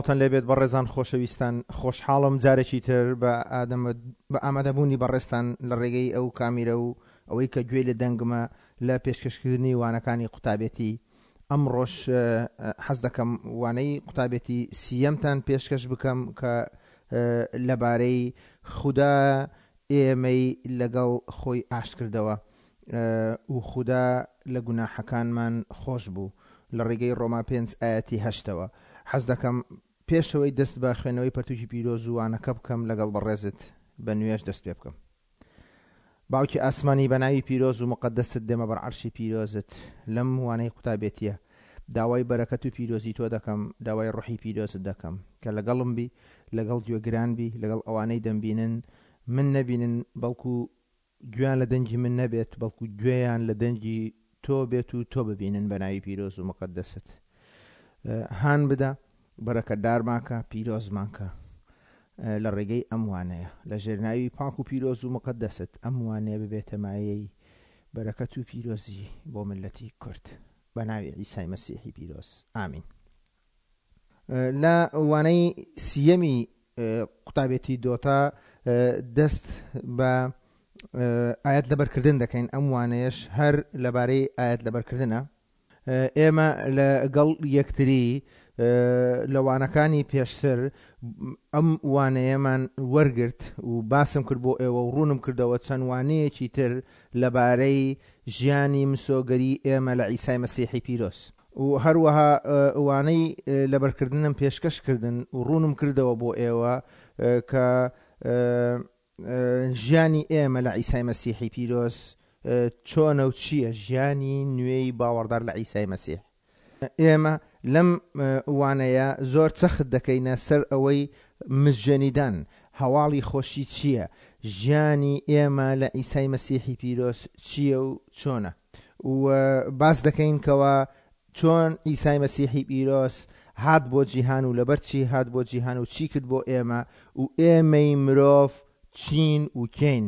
سڵاوتان لێبێت بەڕێزان خۆشەویستان خۆشحاڵم جارێکی تر بە ئادەمە بە ئامادەبوونی بەڕێزتان لە ڕێگەی ئەو کامیرە و ئەوەی کە گوێی لە دەنگمە لە پێشکەشکردنی وانەکانی قوتابێتی ئەمڕۆش حەز دەکەم وانەی قوتابێتی سییەمتان پێشکەش بکەم کە لەبارەی خودا ئێمەی لەگەڵ خۆی ئاشت کردەوە و خودا لە گوناحەکانمان خۆش بوو لە ڕێگەی ڕۆما پێنج ئایەتی هەشتەوە. حەز دەکەم پێشەوەی دەست بە خوێندنەوەی پەرتوکی پیرۆز و وانەکە بکەم لەگەڵ بەڕێزت بە نوێژ دەست پێ بکەم. باوکی ئاسمانی بە ناوی پیرۆز و موقەدەست دێمە بەر عەرشی پیرۆزت لەم وانەی قوتابێتیە داوای بەرەکەت و پیرۆزی تۆ دەکەم داوای ڕۆحی پیرۆزت دەکەم کە لەگەڵم بی لەگەڵ گوێگران بی لەگەڵ ئەوانەی دەمبینن من نەبینن بەڵکو گوێیان لە دەنگی من نەبێت بەڵکو گوێیان لە دەنگی تۆ بێت و تۆ ببینن بە ناوی پیرۆز و مقدست هان بدە بەرەکەتدارمان کە پیرۆزمان کە لە ڕێگەی ئەم وانەیە لە ژێرناوی پاک و پیرۆز و مقدست ئەم وانەیە ببێتە مایەی بەرەکەت و پیرۆزی بۆ ملەتی کورد بە ناوی عیسای مەسیحی پیرۆز ئامین. لە وانەی سیەمی قوتابێتی دۆتا دەست بە ئاەت لەبەرکردن دەکەین ئەم وانەیەش هەر لەبارەی ئاەت لەبەرکردنە ئێمە لەگەڵ یەکتری لە وانەکانی پێشتر ئەم وانەیەمان وەرگرت و باسم کرد بۆ ئێوە و ڕوونم کردەوە چەند وانەیەکی تر لەبارەی ژیانی مسۆگەری ئێمە لە عیسای مەسیحی پیرۆز. و هەروەها وانەی لەبەرکردنم پێشکەش کردن و ڕوونم کردەوە بۆ ئێوە کە ژیانی ئێمە لە عیسای مەسیحی پیرۆز چۆنە و چییە ژیانی نوێی باوەڕدار لە عیسای مەسیح. ئێمە لەم وانەیە زۆر چەخت دەکەینە سەر ئەوەی مزگێنیدان، هەواڵی خۆشی چییە، ژیانی ئێمە لە عیسای مەسیحی پیرۆز چییە و چۆنە. و باس دەکەین کەوا چۆن عیسای مەسیحی پیرۆز هات بۆ جیهان و لەبەر چی هات بۆ جیهان و چی کرد بۆ ئێمە و ئێمەی مرۆڤ چین و کێین.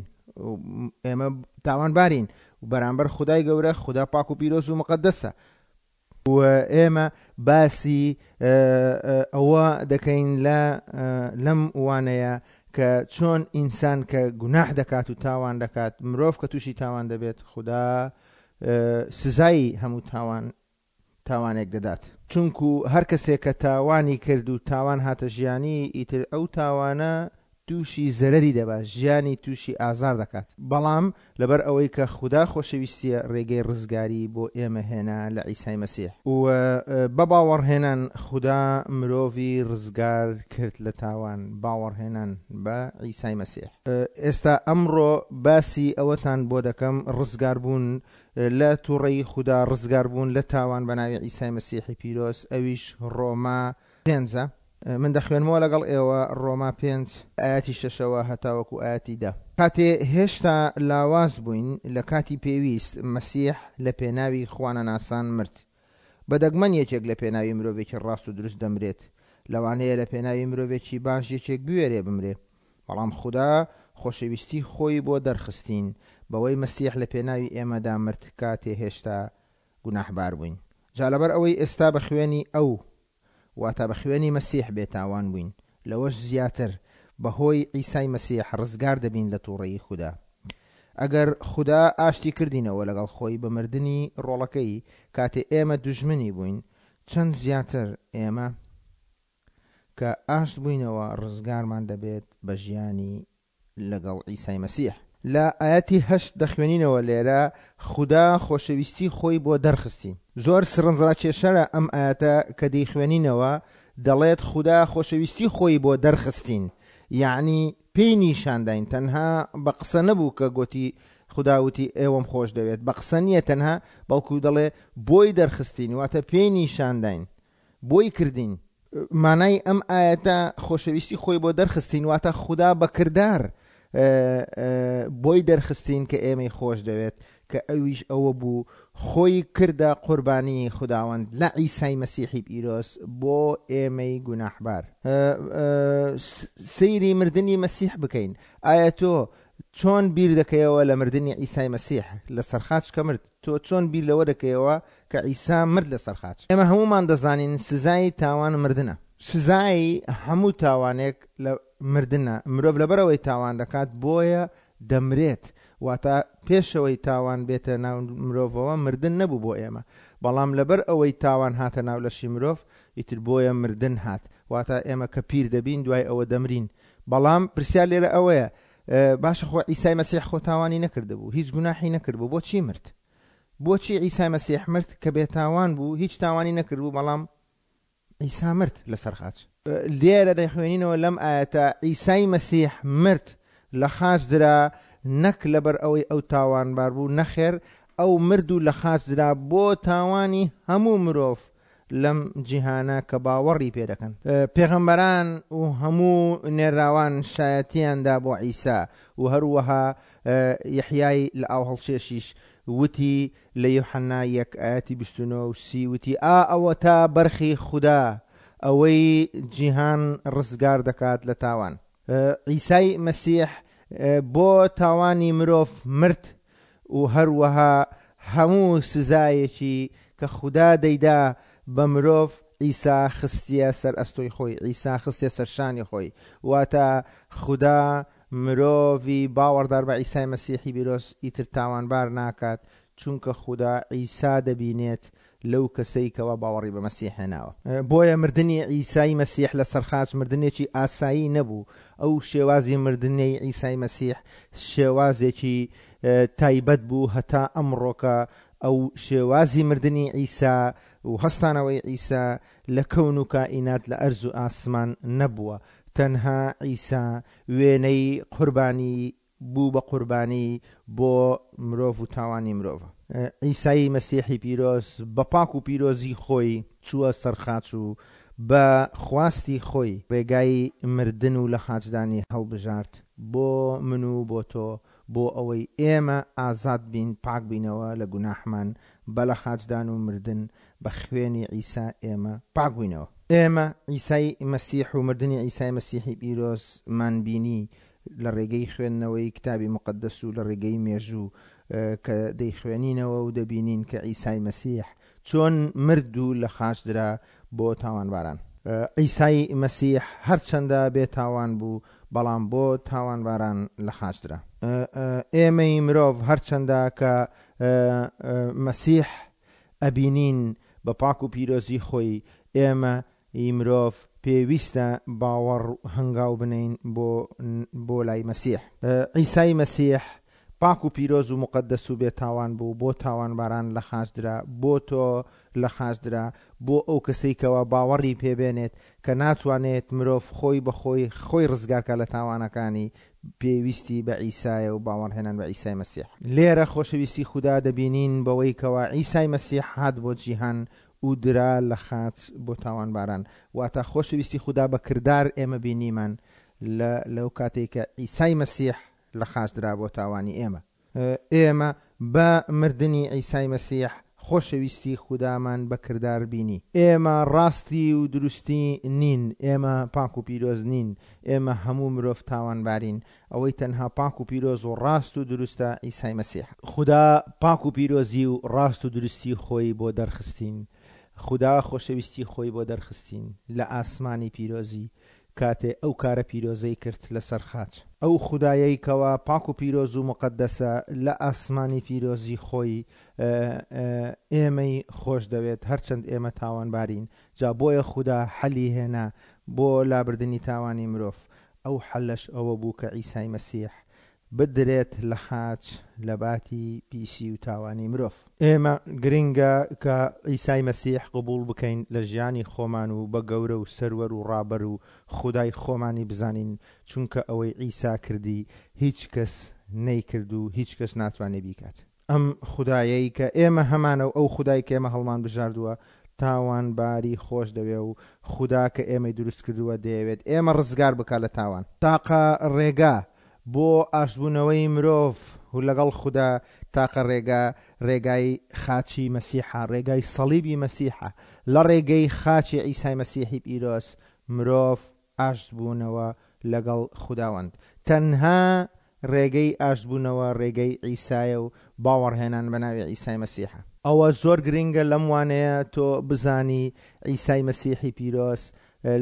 ئێمە تاوانبارین و بەرامبەر خودای گەورە، خودا پاک و پیرۆز و مقەدەسە. و ئێمە باسی ئەوە دەکەین لە لەم وانەیە کە چۆن ئینسان کە گوناح دەکات و تاوان دەکات مرۆڤ کە تووشی تاوان دەبێت خودا سزای هەموو تاوان تاوانێک دەدات. چونکو هەر کەسێک کە تاوانی کرد و تاوان هاتە ژیانی ئیتر ئەو تاوانە تووشی زەرەری دەبات، ژیانی تووشی ئازار دەکات، بەڵام لەبەر ئەوەی کە خودا خۆشەویستییە ڕێگەی ڕزگاری بۆ ئێمە هێنا لە عیسای مەسیح و بە باوەڕهێنان خودا مرۆڤی ڕزگار کرد لە تاوان، باوەڕهێنان بە عیسای مەسیح. ئێستا ئەمڕۆ باسی ئەوەتان بۆ دەکەم ڕزگاربوون لە توڕەیی خودا، ڕزگاربوون لە تاوان بە ناوی عیسای مەسیحی پیرۆز، ئەویش ڕۆما پێنجە. من دەخوێنمەوە لەگەڵ ئێوە ڕۆما پێنج ئایەتی شەشەوە هەتاوەکو ئایەتی دە. کاتێ هێشتا لاواز بووین، لە کاتی پێویست مەسیح لە پێناوی خوانەناسان مرد. بە دەگمەن یەکێک لە پێناوی مرۆڤێکی ڕاست و دروست دەمرێت. لەوانەیە لە پێناوی مرۆڤێکی باش یەکێک بوێرێ بمرێ. بەڵام خودا خۆشەویستی خۆی بۆ دەرخستین، بەوەی مەسیح لە پێناوی ئێمەدا مرد کاتێ هێشتا گوناحبار بووین. جا لەبەر ئەوەی ئێستا بە خوێنی ئەو واتە بە خوێنی مەسیح بێتاوان بووین، لەوەش زیاتر، بەهۆی عیسای مەسیح ڕزگار دەبین لە تووڕەیی خودا. ئەگەر خودا ئاشتی کردینەوە لەگەڵ خۆی بە مردنی ڕۆڵەکەی کاتێ ئێمە دوژمنی بووین، چەند زیاتر ئێمە کە ئاشت بووینەوە ڕزگارمان دەبێت بە ژیانی لەگەڵ عیسای مەسیح. لە ئایەتی هەشت دەخوێنینەوە لێرە خودا خۆشەویستی خۆی بۆ دەرخستین. زۆر سرنجڕاکێشەرە ئەم ئایەتە کە دەیخوێنینەوە دەڵێت خودا خۆشەویستی خۆی بۆ دەرخستین یەعنی پێی نیشانداین تەنها بە قسە نەبوو کە گۆتی خودا وتی ئێوەم خۆش دەوێت بە قسە نییە تەنها بەڵکو دەڵێ بۆی دەرخستین واتە پێی نیشانداین بۆی کردین. مانای ئەم ئایەتە خۆشەویستی خۆی بۆ دەرخستین واتە خودا بە کردار بۆی دەرخستین کە ئێمەی خۆش دەوێت کە ئەویش ئەوە بوو خۆی کردە قوربانی خوداوەند لە عیسای مەسیحی پیرۆز بۆ ئێمەی گوناحبار. سەیری مردنی مەسیح بکەین ئایا تۆ چۆن بیر دەکەیەوە لە مردنی عیسای مەسیح لەسەر خاچ کە مرد تۆ چۆن بیر لەوە دەکەیەوە کە عیسا مرد لەسەر خاچ؟ ئێمە هەموومان دەزانین سزای تاوان مردنە. سزای هەموو تاوانێک لە مردنە، مرۆڤ لەبەرئەوەی تاوان دەکات بۆیە دەمرێت، واتە پێشەوەی تاوان بێتە ناو مرۆڤەوە مردن نەبوو بۆ ئێمە، بەڵام لەبەر ئەوەی تاوان هاتە ناو لەشی مرۆڤ ئیتر بۆیە مردن هات، واتە ئێمە کە پیر دەبین دوای ئەوە دەمرین، بەڵام پرسیار لێرە ئەوەیە باشە خۆ عیسای مەسیح خۆ تاوانی نەکردبوو، هیچ گوناحی نەکردبوو، بۆچی مرد؟ بۆچی عیسای مەسیح مرد کە بێتاوان بوو، هیچ تاوانی نەکردبوو، بەڵام عیسا مرد لەسەر خاچ. لێرە دەخوێنینەوە لەم ئایەتە عیسای مەسیح مرد لە خاچ درا نەک لەبەر ئەوەی ئەو تاوانبار بوو نەخێر ئەو مرد و لە خاچ درا بۆ تاوانی هەموو مرۆڤ لەم جیهانە کە باوەڕی پێ دەکەن. پێغەمبەران و هەموو نێرراوان شایەتیان دا بۆ عیسا و هەروەها یەحیای لە ئاوهەڵکێشیش وتی لە یوحەنا یەک ئایەتی 29 و 30 وتی، ئا ئەوەتا بەرخی خودا، ئەوەی جیهان ڕزگار دەکات لە تاوان. عیسای مەسیح بۆ تاوانی مرۆڤ مرد و هەروەها هەموو سزایەکی کە خودا دەیدا بە مرۆڤ عیسا خستیە سەر ئەستۆی خۆی، عیسا خستیە سەر شانی خۆی، واتە خودا مرۆڤی باوەڕدار بە عیسای مەسیحی بیرۆز ئیتر تاوانبار ناکات، چونکە خودا عیسا دەبینێت لەو کەسەی کەوا باوەڕی بە مەسیح هێناوە. بۆیە مردنی عیسای مەسیح لەسەر خاچ مردنێکی ئاسایی نەبوو، ئەو شێوازی مردنەی عیسای مەسیح شێوازێکی تایبەت بوو هەتا ئەمڕۆکە ئەو شێوازی مردنی عیسا و هەستانەوەی عیسا لە کەون و کائینات لە ئەرز و ئاسمان نەبووە، تەنها عیسا وێنەی قوربانی بوو بە قوربانی بۆ مرۆڤ و تاوانی مرۆڤ. عیسای مەسیحی پیرۆز بە پاک و پیرۆزی خۆی چووە سەر خاچ و بە خواستی خۆی ڕێگای مردن و لەخاچدانی هەڵبژارد بۆ من و بۆ تۆ بۆ ئەوەی ئێمە ئازاد بین پاک بینەوە لە گوناحمان بە لەخاچدان و مردن بە خوێنی عیسا ئێمە پاک بووینەوە. ئێمە عیسای مەسیح و مردنی عیسای مەسیحی پیرۆزمان بینی لە ڕێگەی خوێندنەوەی کتابی موقەدەس و لە ڕێگەی مێژوو کە دەیخوێنینەوە و دەبینین کە عیسای مەسیح چۆن مرد و لە خاچ درا بۆ تاوانباران. عیسای مەسیح هەرچەندە بێ تاوان بوو بەڵام بۆ تاوانباران لە خاچ درا. ئێمەی مرۆڤ هەرچەندە کە مەسیح ئەبینین بە پاک و پیرۆزی خۆی، ئێمە ی مرۆڤ پێویستە باوەڕ و هەنگاو بنێین بۆ بۆ لای مەسیح. عیسای مەسیح پاک و پیرۆز و موقەدەس و بێ تاوان بوو، بۆ تاوانباران لە خاچ درا، بۆ تۆ لە خاچ درا، بۆ ئەو کەسەی کەوا باوەڕی پێ بێنێت کە ناتوانێت مرۆڤ خۆی بە خۆی خۆی ڕزگار کا لە تاوانەکانی، پێویستی بە عیسایە و باوەڕهێنان بە عیسای مەسیح. لێرە خۆشەویستی خودا دەبینین بەوەی کەوا عیسای مەسیح هات بۆ جیهان و درا لە خاچ بۆ تاوانباران. واتە خۆشەویستی خودا بە کردار ئێمە بینیمان لە لەو کاتەی کە عیسای مەسیح لە خاچ درا بۆ تاوانی ئێمە. ئێمە بە مردنی عیسای مەسیح خۆشەویستی خودامان بە کردار بینی. ئێمە ڕاستی و دروستی نین، ئێمە پاک و پیرۆز نین، ئێمە هەموو مرۆڤ تاوانبارین، ئەوەی تەنها پاک و پیرۆز و ڕاست و دروستە عیسای مەسیحە. خودا پاک و پیرۆزی و ڕاست و دروستی خۆی بۆ دەرخستین، خودا خۆشەویستی خۆی بۆ دەرخستین لە ئاسمانی پیرۆزی کاتێ ئەو کارە پیرۆزەی کرد لەسەر خاچ. ئەو خودایەی کەوا پاک و پیرۆز و موقەدەسە لە ئاسمانی پیرۆزی خۆی ئێمەی خۆش دەوێت هەرچەند ئێمە تاوانبارین، جا بۆیە خودا حەلی هێنا بۆ لابردنی تاوانی مرۆڤ، ئەو حەلەش ئەوە بوو کە عیسای مەسیح بدرێت لە خاچ لەباتی پیسی و تاوانی مرۆڤ. ئێمە گرنگە کە عیسای مەسیح قبوڵ بکەین لە ژیانی خۆمان و بە گەورە و سەروەر و ڕابەر و خودای خۆمانی بزانین چونکە ئەوەی عیسا کردی هیچ کەس نەیکرد و هیچ کەس ناتوانێ بیکات. ئەم خودایەی کە ئێمە هەمانە و ئەو خودای کە ئێمە هەڵمان بژاردووە تاوانباری خۆش دەوێ و خودا کە ئێمەی دروست کردووە دەیەوێت ئێمە ڕزگار بکات لە تاوان. تاقە ڕێگا بۆ ئاشتبوونەوەی مرۆڤ و لەگەڵ خودا تاقە ڕێگا ڕێگای خاچی مەسیحە، ڕێگای سەڵیبی مەسیحە. لە ڕێگەی خاچی عیسای مەسیحی پیرۆز مرۆڤ ئاشتبوونەوە لەگەڵ خوداوەند. تەنها ڕێگەی ئاشتبوونەوە ڕێگەی عیسایە و باوەڕهێنان بە ناوی عیسای مەسیحە. ئەوە زۆر گرنگە لەم وانەیە تۆ بزانی عیسای مەسیحی پیرۆز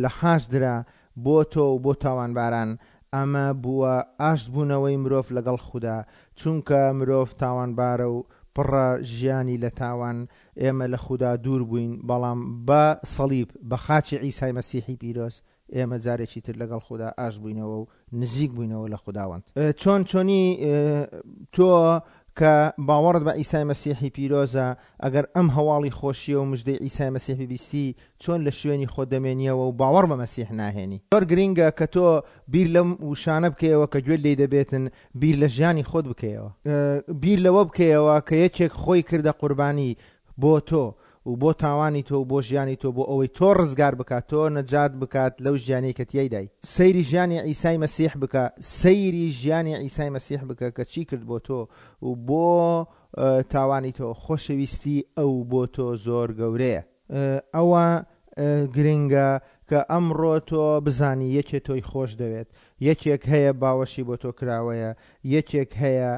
لە خاچ درا بۆ تۆ و بۆ تاوانباران، ئەمە بووە ئاشت بوونەوەی مرۆڤ لەگەڵ خودا، چونکە مرۆڤ تاوانبارە و پڕە ژیانی لە تاوان، ئێمە لە خودا دوور بووین، بەڵام بە سەڵیب، بە خاچی عیسای مەسیحی پیرۆز، ئێمە جارێکی تر لەگەڵ خودا ئاشت بووینەوە و نزیک بووینەوە لە خوداوەند. چۆن چۆنی تۆ کە باوەڕت بە عیسای مەسیحی پیرۆزە، ئەگەر ئەم هەواڵی خۆشییە و مژدەی عیسای مەسیح ببیستی، چۆن لە شوێنی خۆت دەمێنیەوە و باوەڕ بە مەسیح ناهێنی؟ زۆر گرینگە کە تۆ بیر لەم وشانە بکەیەوە کە گوێت لێی دەبێتن، بیر لە ژیانی خۆت بکەیەوە. بیر لەوە بکەیەوە کە یەکێک خۆی کردە قوربانی بۆ تۆ و بۆ تاوانی تۆ و بۆ ژیانی تۆ بۆ ئەوەی تۆ ڕزگار بکات، تۆ نەجات بکات لەو ژیانەی کە تیایدای. سەیری ژیانی عیسای مەسیح بکە، سەیری ژیانی عیسای مەسیح بکە کە چی کرد بۆ تۆ و بۆ تاوانی تۆ، خۆشەویستی ئەو بۆ تۆ زۆر گەورەیە. ئەوە گرنگە کە ئەمڕۆ تۆ بزانی یەکێ تۆی خۆش دەوێت، یەکێک هەیە باوەشی بۆ تۆ کراوەیە، یەکێک هەیە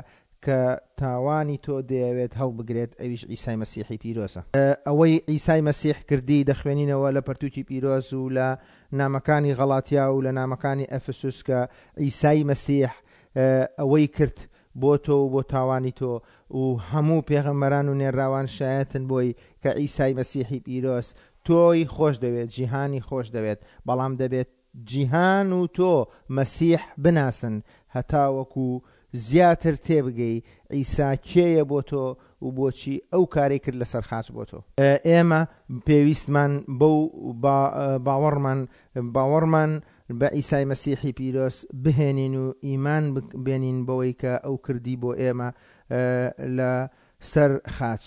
کە تاوانی تۆ دەیەوێت هەڵبگرێت ئەویش عیسای مەسیحی پیرۆزە. ئەوەی عیسای مەسیح کردی دەخوێنینەوە لە پەرتوکی پیرۆز و لە نامەکانی غەڵاتیا و لە نامەکانی ئەفسوس کە عیسای مەسیح ئەوەی کرد بۆ تۆ و بۆ تاوانی تۆ و هەموو پێغەمبەران و نێرراوان شایەتن بۆی کە عیسای مەسیحی پیرۆز تۆی خۆش دەوێت جیهانی خۆش دەوێت بەڵام دەبێت جیهان و تۆ مەسیح بناسن هەتاوەکو زیاتر تێبگەی عیسا کێیە بۆ تۆ و بۆچی ئەو کارەی کرد لەسەر خاچ بۆ تۆ. ئێمە پێویستمان بەو باوەڕمان باوەڕمان بە عیسای مەسیحی پیرۆز بهێنین و ئیمان بێنین بەوەی کە ئەو کردی بۆ ئێمە لە سەر خاچ.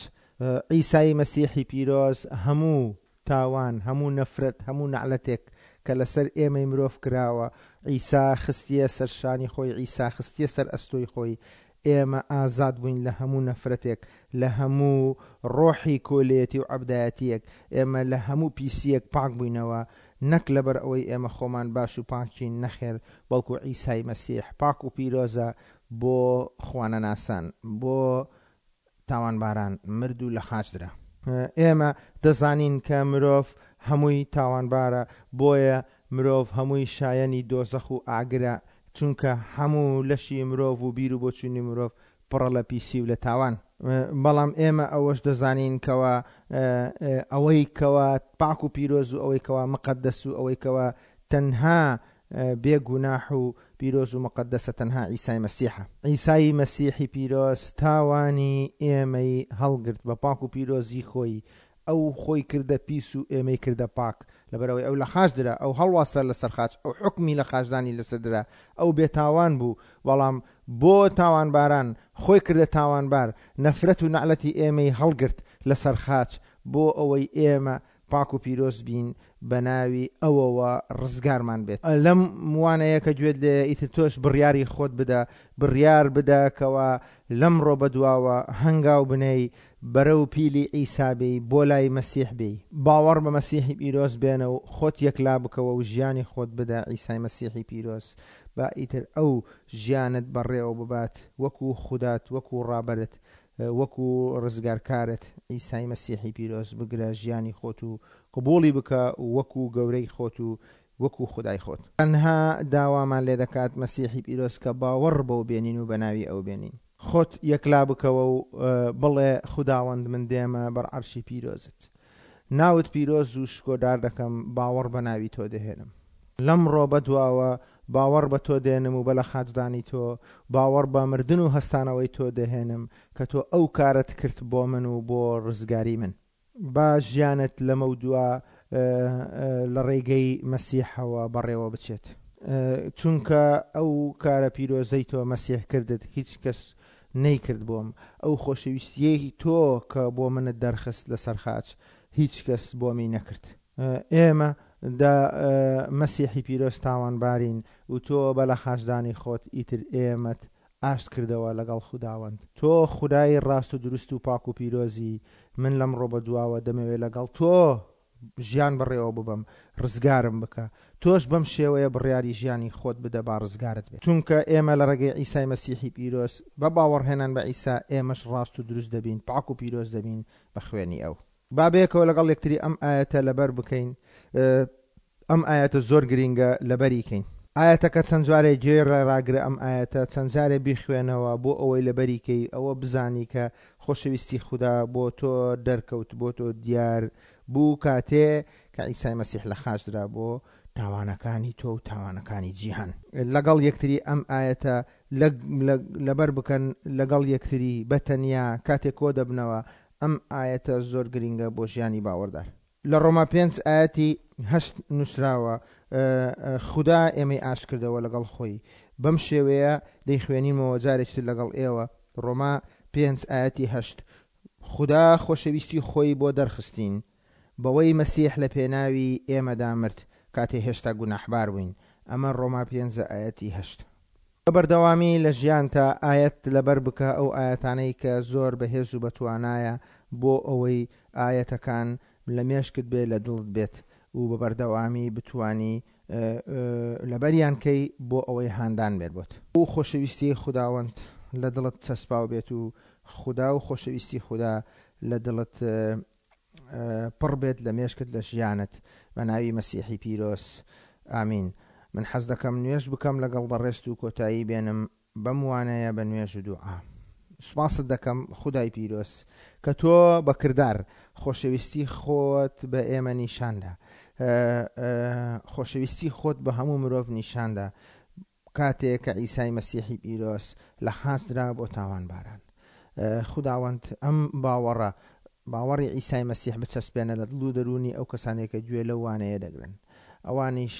عیسای مەسیحی پیرۆز هەموو تاوان، هەموو نەفرەت، هەموو نەعلەتێک کە لەسەر ئێمەی مرۆڤ کراوە، عیسا خستیە سەر شانی خۆی، عیسا خستیە سەر ئەستۆی خۆی، ئێمە ئازاد بووین لە هەموو نەفرەتێک، لە هەموو ڕۆحی کۆیلەیەتی و عەبدایەتییەک، ئێمە لە هەموو پیسییەک پاک بووینەوە، نەک لەبەر ئەوەی ئێمە خۆمان باش و پاکین، نەخێر، بەڵکو عیسای مەسیح پاک و پیرۆزە بۆ خوانەناسان، بۆ تاوانباران مرد و لە خاچ درا. ئێمە دەزانین کە مرۆڤ هەمووی تاوانبارە، بۆیە مرۆڤ هەمووی شایەنی دۆزەخ و ئاگرە، چونکە هەموو لەشی مرۆڤ و بیر و بۆچوونی مرۆڤ پڕە لە پیسی و لە تاوان. بەڵام ئێمە ئەوەش دەزانین کەوا ئەوەی کەوا پاک و پیرۆز و ئەوەی کەوا مقەدەس و ئەوەی کەوا تەنها بێ گوناح و پیرۆز و مقەدەسە تەنها عیسای مەسیحە. عیسای مەسیحی پیرۆز تاوانی ئێمەی هەڵگرت بە پاک و پیرۆزی خۆی، ئەو خۆی کردە پیس و ئێمەی کردە پاک، لەبەرئەوەی ئەو لە خاچ درا، ئەو هەڵواسرا لەسەر خاچ، ئەو حوکمی لە خاچدانی لەسەر درا، ئەو بێتاوان بوو، بەڵام بۆ تاوانباران خۆی کردە تاوانبار، نەفرەت و نەعلەتی ئێمەی هەڵگرت لەسەر خاچ بۆ ئەوەی ئێمە پاک و پیرۆز بین بە ناوی ئەوەوە ڕزگارمان بێت. لەم وانەیە کە گوێت لێیە ئیتر تۆش بڕیاری خۆت بدە، بڕیار بدە کەوا لەمڕۆ بەدواوە هەنگاو بنێی بەرەو پیلی عیسا بێی بۆ لای مەسیح بێی. باوەڕ بە مەسیحی پیرۆز بێنە و خۆت یەکلا بکەوە و ژیانی خۆت بدە عیسای مەسیحی پیرۆز با ئیتر ئەو ژیانت بەڕێوە ببات وەکو خودات وەکو ڕابەرت وەکو ڕزگارکارت عیسای مەسیحی پیرۆز بگرە ژیانی خۆت و قبوڵی بکە وەکو گەورەی خۆت و وەکو خودای خۆت. تەنها داوامان لێ دەکات مەسیحی پیرۆز کە باوەڕ بەو بێنین و بەناوی ئەو بێنین. خۆت یەکلا بکەوە و بڵێ خوداوەند من دێمە بەر عەرشی پیرۆزت. ناوت پیرۆز و شکۆدار دەکەم، باوەڕ بە ناوی تۆ دەهێنم. لەمڕۆ بەدواوە باوەڕ بە تۆ دێنم و بە لەخاچدانی تۆ، باوەڕ بە مردن و هەستانەوەی تۆ دەهێنم، کە تۆ ئەو کارەت کرد بۆ من و بۆ ڕزگاری من. با ژیانت لەمەودوا لە ڕێگەی مەسیحەوە بەڕێوە بچێت. چونکە ئەو کارە پیرۆزەی تۆ مەسیح کردت، هیچ کەس نەیکرد بۆم، ئەو خۆشەویستییەی تۆ کە بۆ منت دەرخست لەسەر خاچ، هیچ کەس بۆمی نەکرد. ئێمە دە مەسیحی پیرۆز تاوانبارین و تۆ بە لەخاچدانی خۆت ئیتر ئێمەت ئاشت کردەوە لەگەڵ خوداوەند. تۆ خودای ڕاست و دروست و پاک و پیرۆزی، من لەمڕۆ بەدواوە دەمەوێ لەگەڵ تۆ ژیان بەڕێوە ببەم، ڕزگارم بکە. تۆش بەم شێوەیە بڕیاری ژیانی خۆت بدە با ڕزگارت بێت. چونکە ئێمە لە ڕێگەی عیسای مەسیحی پیرۆز، بە باوەڕهێنان بە عیسا، ئێمەش ڕاست و دروست دەبین، پاک و پیرۆز دەبین بە خوێنی ئەو. با بەیەکەوە لەگەڵ یەکتری ئەم ئایەتە لەبەر بکەین. ئەم ئایەتە زۆر گرینگە لەبەری کەین. ئایەتەکە چەند جارێ گوێ ڕاگرە ئەم ئایەتە چەند جارێ بیخوێنەوە بۆ ئەوەی لەبەری کەی ئەوە بزانی کە خۆشەویستی خودا بۆ تۆ دەرکەوت بۆ تۆ دیار بوو کاتێ کە عیسای مەسیح لە خاچ درا بۆ تاوانەکانی تۆ و تاوانەکانی جیهان. لەگەڵ یەکتری ئەم ئایەتە لەبەر بکەن لەگەڵ یەکتری بە تەنیا کاتێ کۆ دەبنەوە ئەم ئایەتە زۆر گرینگە بۆ ژیانی باوەڕدار. لە ڕۆما پێنج ئایەتی هەشت نووسراوە، خودا ئێمەی ئاشت کردەوە لەگەڵ خۆی. بەم شێوەیە دەیخوێنینمەوە جارێکی تر لەگەڵ ئێوە، ڕۆما پێنج ئایەتی هەشت، خودا خۆشەویستی خۆی بۆ دەرخستین، بەوەی مەسیح لە پێناوی ئێمەدا مرد، کاتێ هێشتا گوناحبار بووین. ئەمە ڕۆما پێنج ئایەتی هەشت. بە بەردەوامی لە ژیانتا ئایەت لەبەر بکە ئەو ئایەتانەی کە زۆر بەهێز و بەتوانایە بۆ ئەوەی ئایەتەکان لە مێشکت بێ لە دڵت بێت و بە بەردەوامی بتوانی لەبەریان کەی بۆ ئەوەی هاندان بێت بۆت. و خۆشەویستیی خوداوەند لە دڵت چەسپاو بێت و خودا و خۆشەویستی خودا لە دڵت پڕ بێت لە مێشکت لە ژیانت بە ناوی مەسیحی پیرۆز ئامین من حەز دەکەم نوێژ بکەم لەگەڵ بەڕێزت و کۆتایی بێنم بەم وانەیە بە نوێژ و دوعا. سوپاست دەکەم خودای پیرۆز کە تۆ بە کردار خۆشەویستی خۆت بە ئێمە نیشاندا خۆشەویستی خۆت بە هەموو مرۆڤ نیشاندا کاتێ کە عیسای مەسیحی پیرۆز لە خاچ درا بۆ تاوانباران. خوداوەند ئەم باوەڕە، باوەڕی عیسای مەسیح بچەسپێنە لە دڵ و دەروونی ئەو کەسانەی کە گوێ لەو وانەیە دەگرن. ئەوانیش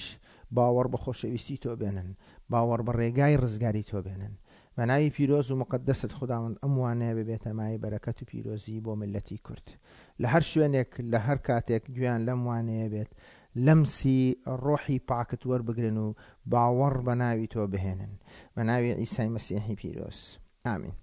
باوەڕ بە خۆشەویستی تۆ بێنن، باوەڕ بە ڕێگای ڕزگاری تۆ بێنن. بە ناوی پیرۆز و موقەدەست خوداوەند ئەم وانەیە ببێتە مایەی بەرەکەت و پیرۆزی بۆ میللەتی کورد. لە هەر شوێنێک، لە هەر کاتێک گوێیان لەم وانەیە بێت، لەمسی ڕۆحی پاکت وەربگرن و باوەڕ بە ناوی تۆ بهێنن. بە ناوی عیسای مەسیحی پیرۆز. ئامین.